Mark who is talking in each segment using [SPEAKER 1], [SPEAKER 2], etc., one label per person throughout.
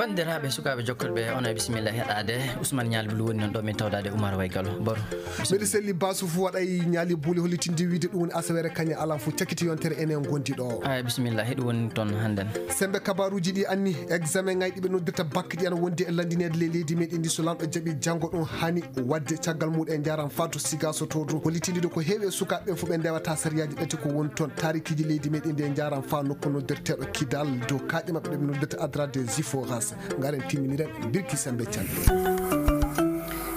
[SPEAKER 1] bandiraɓe sukaɓe jokkolɓe on e bisimilla heɗade Ousmane Niali Bulu woni non ɗo min tawdade Oumar Way Gallo baro
[SPEAKER 2] mbeɗa selli basu fu waɗay Niali Bulu hollitinde wiide ɗum woni asawere kañe ala fu cakkiti yontere enen gondi ɗo
[SPEAKER 1] ay bisimilla heɗi woni toon hannden
[SPEAKER 2] sembe kabaruji ɗi anni examen ngaji ɗiɓe noddirta bac ɗi ana wondi e landinede leydi meɗen ndi so lamɗo jaaɓi janggo ɗum hani wadde caggal muɗum e jaran Fatou Sigaso to ɗum hollitinde ko heewi e sukaɓe fu ɓe ndewata sariyaji ɗati ko woni toon tarikiji leydi meɗen ndi e jaran fa nokku noddirteɗo Kidal dow kaaƴe mabɓe ɗeɓe noddirta Adra des Iforas garen timminiren birki sembe calɗi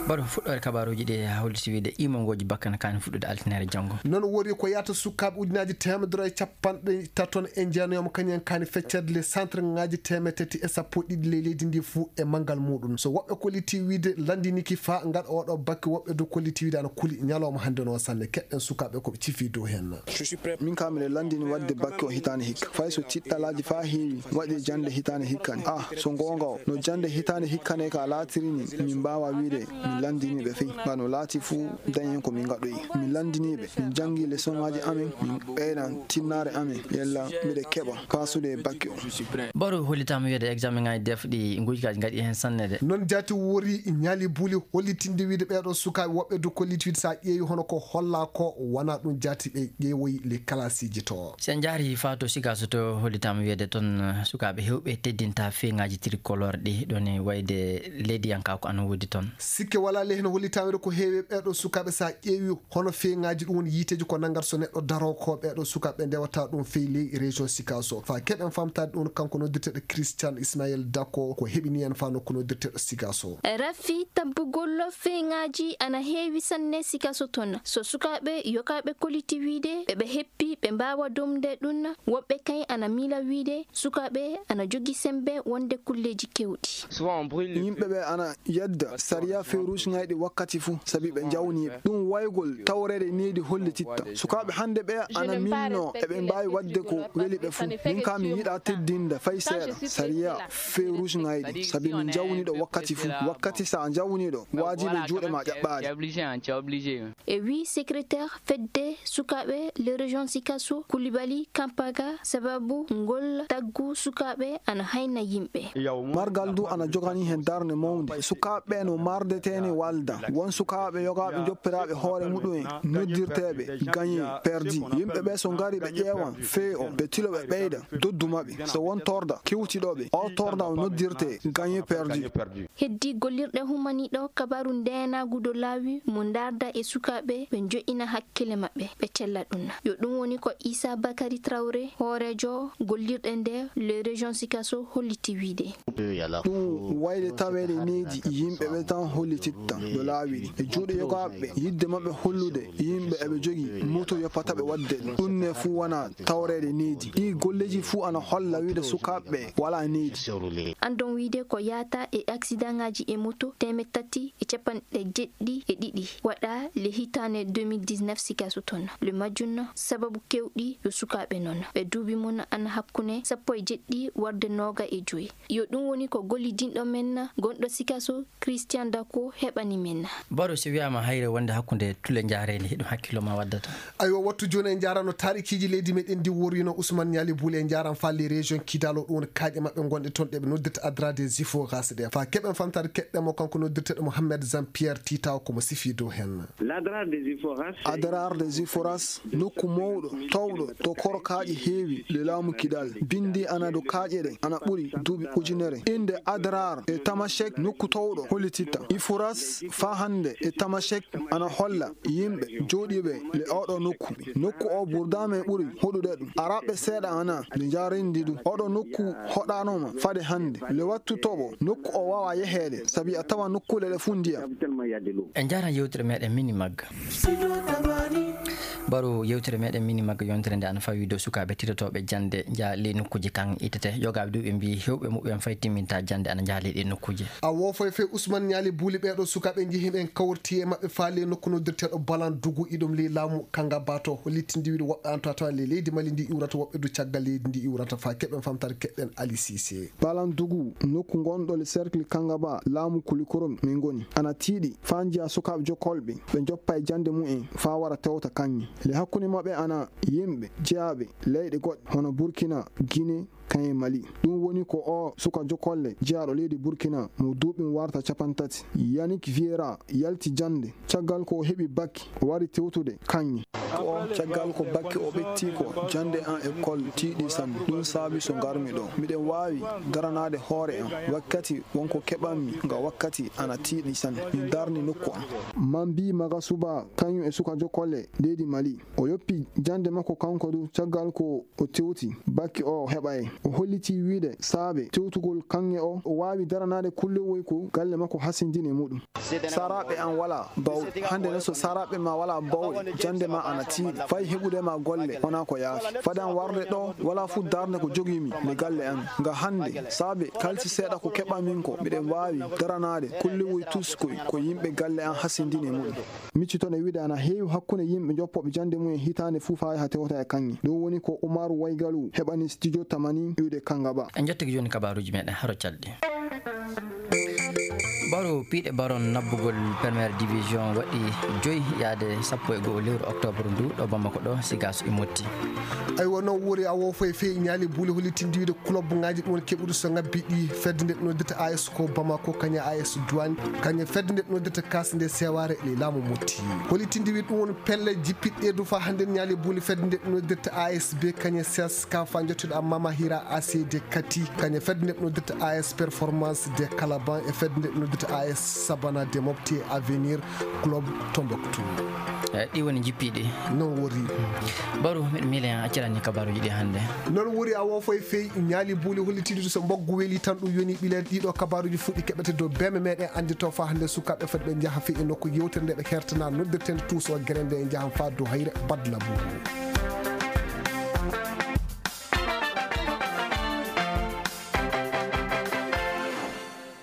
[SPEAKER 1] baɗo fuɗɗore kabaruji ɗi holliti wiide imongoji bakkana kani fuɗɗude altinere janggo
[SPEAKER 2] noon wori ko yata sukaɓe ujunaji temedere capanɗe taton e jeenayoma kañen kani feccede les centre ngaji temetati e sappo ɗiɗi leydi ndi fuu e manggal muɗum so woɓɓe kolliti wiide landiniki fa gaɗa oɗo bakke woɓɓe do kolliti wiide ana kuuli ñalawma hande no sanne keɗɗen sukaɓe koɓe cifi dow hen
[SPEAKER 3] min kam mine landini wadde bakke o hitande hikka fay so tiɗɗalaji fa heewi waɗi jande hitande hikkani so gonga o no jande hitande hikkane ka latirini min mbawa wiide landiniɓe fey ngano laati fuu dañen ko min gaɗoyi min landiniɓe min jangi leçon ngaji amen min ɓeyɗan tinnare amen yella mbiɗe keɓa pasude bakke o
[SPEAKER 1] baro hollitama wiide examen ngaji defɗi gujkaji gaɗi hen sannede
[SPEAKER 2] noon jaati wori Niali Buli hollitinde wiide ɓeɗo sukaɓe woɓɓe do kolliti wiide sa ƴeewi hono ko holla ko wona ɗum jaati ɓe ƴeewoyi les classeji to
[SPEAKER 1] sen jaari Fatou Sigaso to hollitama wiide toon sukaɓe hewɓe teddinta feŋaji tricolore ɗi ɗon wayde leydi yanka ko ana woodi toon
[SPEAKER 2] sikke wala lehno hollitawede ko heewi ɓeɗo sukaɓe sa ƴeewi hono feŋaji ɗum woni yiteji ko naggat so neɗɗo daro ko ɓeɗo sukaɓe ndewata ɗum fey ley région Sigaso fa keɓen famtade ɗum kanko noddirteɗo Christian Ismaël Dako ko heɓini hen fa nokku noddirteɗo Sigaso
[SPEAKER 4] rafi tabbugollo feŋaji ana heewi sanne Sigaso toon so sukaɓe yokaɓe kolliti wiide ɓeɓe heppi ɓe mbawa domde ɗum woɓɓe kay ana miila wiide sukaɓe ana jogi sembe wonde kulleji kewɗi
[SPEAKER 3] yimɓeɓe ana yedda sariya feruji ngayɗi wakkati fuu sabi ɓe jawniɓe ɗum waygol tawrede needi hollititta sukaɓe hande ɓe ana minno eɓe mbawi wadde ko weli ɓe fuu min kam mi yiɗa teddinde fay seeɗa sariya feruji ngayɗi sabi min jawniɗo wakkati fuu wakkati sa jawniɗo wajiɓe juuɗe ma ƴaɓɓade
[SPEAKER 4] e wi secrétaire fedde sukaɓe le région Sigaso Coulibaly Kampaga sababu ngol taggu sukaɓe ana hayna yimɓe
[SPEAKER 3] margal du ana jogani hen darde mawde sukaɓe no mardetene walda won sukaɓe yogaɓe joppiraɓe hoore muɗum en noddirteɓe gagné perdi yimɓeɓe so ngari ɓe ƴeewan fee o ɓe tilo ɓe ɓeyda doddumaɓe so won torda kiwtiɗoɓe o torda o noddirte gagné perdi
[SPEAKER 4] heddi gollirɗe humaniɗo kabaru ndenagu do laawi mo darda e sukaɓe ɓe jo'ina hakkille maɓɓe ɓe cella ɗum yo ɗum woni ko Issa Bakary Traoré hoorejo gollirɗe nde le région Sigaso holliti wiide
[SPEAKER 3] ɗum wayde tawede needi yimɓeɓe tan hollititta do laawi e juuɗe yogaɓe yidde mabɓe hollude yimɓe eɓe jogi moto yoppataɓe wadde ɗum ne fuu wona tawrede needi ɗi golleji fuu ana holla wiide sukaɓe wala needi
[SPEAKER 4] andon wiide ko yata e accident ngaji e moto 370 waɗa le hitane 2019 Sigaso toon le majjun sababu kewɗi yo sukaɓe noon ɓe duubi mon ana hakkune 17 warde 25 yo ɗum woni ko gollidinɗo men gonɗo Sigaso Christian Dako heɓani men
[SPEAKER 1] baro si wiyama hayre wonde hakkude tule jarede heɗum hakkilo ma waddata
[SPEAKER 2] ayo wattu joni en jarano tarikiji leydi meɗen ndi worino Ousmane Niali Bulu en jaran falle région Kidal ɗum woni kaaƴe mabɓe gonɗe toon ɗeɓe noddirta Adra des Iforas ɗe fa keɓen famtade keɗɗemo kanko noddirteɗo Mohamed Jean Pierre Titaw komo sifi dow hen Adrar des Iforas nokku mawɗo tawɗo to koro kaaƴe heewi le laamu Kidal bindi ana do kaaƴe ɗe ana ɓuuri duuɓi ujunere inde Adrar e Tamashek nokku tawɗo hollititta Iforas fa hande e Tamashek ana holla yimɓe jooɗiɓe le oɗo nokku o ɓurdame ɓuuri hoɗude ɗum araɓe seeɗa ana nde jarindi ɗum oɗo nokku hoɗanoma fade hande le wattu toɓo nokku o wawa yehede sabi a tawa nokkule ɗe fu ndiyam
[SPEAKER 1] en jaran yewtere meɗen mini magga baro yewtere meɗen mini magga yontere nde ana fawi dow sukaɓe titotoɓe jande jaa ley nokkuji kan itete yogaɓe ɗu ɓe mbi hewɓe muɓɓen fay timminta jande ana jaa ley ɗe nokkuji
[SPEAKER 2] a wofoy fe Ousmane Niali Bulu ɓeɗo sukaɓe jeehiɓen kawrti e mabɓe faale nokku noddirteɗo Balan Dugu iɗum ley laamu Kanga Bato hollitindi wiide woɓɓe an tawa ley leydi Mali ndi iwrata woɓɓe du caggal leydi ndi iwrata fa keɓen famtade keɗɗen Ali Cissé
[SPEAKER 3] Balan Dugu nokku gonɗo le cercle Kanga Ba laamu Kulikorom min goni ana tiiɗi fa jiya sukaɓe jokkolɓe ɓe joppa e jande mumen fa wara tewta kanƴe le hakkude mabɓe ana yimɓe jeyaɓe leyɗe goɗɗe hono Burkina Guinée kanye Mali ɗum woni ko o sukajo kolle jeyaɗo leydi Burkina mo duuɓi warta 30 Yannick Vieira yalti jande caggal ko heɓi bakki o wari tewtude kanyi o caggal ko bakki o ɓetti ko jande an école tiiɗi sanne ɗum saabi so garmi ɗo miɗen wawi daranade hoore am wakkati wonko keɓanmi nga wakkati ana tiiɗi sanne mi darni nokku am man mbi maga suba kañum e sukajo kolle leydi Mali o yoppi jande makko kanko du caggal ko o tewti bakki o heɓay o holliti wiide saabe tewtugol kanŋe o wawi daranade kullewoy ko galle makko hasindini muɗum saraɓe an wala bawɗe hande ne so saraɓe ma wala bawɗe jande ma ana tiiɗi fay heɓudema golle wona ko yaafi fadan warde ɗo wala fu darde ko jogimi nde galle an nga hande saabe kalsi seeɗa ko keɓa min ko miɗen wawi daranade kullewoy tuskoy ko yimɓe galle an hasindini muɗum miccitone wiide ana heewi hakkunde yimɓe joppoɓe jande mumen hitande fuu fa ha tewta e kanŋe ɗum woni ko Umaru Waygalu heɓani studio tamani iwde Kangaba
[SPEAKER 1] en jettiki joni kabaruji meɗen haro calɗi baro piiɗe baron nabbugol premiére division waɗi 5 yaade 11 lewru octobre ndu ɗo Bamako ɗo sigaso immotti
[SPEAKER 2] aywa noon wori a wofo e feewi ñaali buule hollitindiwide club ngaji ɗum woni keɓuɗo so ngabbi ɗi fedde nde ɗum noddita AS ko Bamako kaña AS Douane kaña fedde nde ɗum noddita kasde seware le laamu motti hollitindiwide ɗum woni pelle jippiɗɗe du fa hande ñaali buule fedde nde ɗum noddita ASB kaña CS ka fa jottuɗo Mama Hira ACD Kati kaña fedde nde ɗum noddita AS Performance de Calaban e fedde nde ɗum noddita AS Sabana de Mopti Avenir Club Tombouctou
[SPEAKER 1] ɗi woni jippiɗi
[SPEAKER 2] non wori
[SPEAKER 1] baru miɗo miilen accirani kabaruji ɗi hannde
[SPEAKER 2] non wori a wofo e feewi ñaali buuli hollitidude so mboggu weeli tan ɗum yoni ɓileede ɗiɗo kabaruji fuɗɗi keɓete dow beme meɗen andito fa hannde sukaɓe foti ɓe jaaha fe e nokku yewtere nde ɓe hertana noddirtende tuuso guere nde e jaahan fa dow hayre badla bou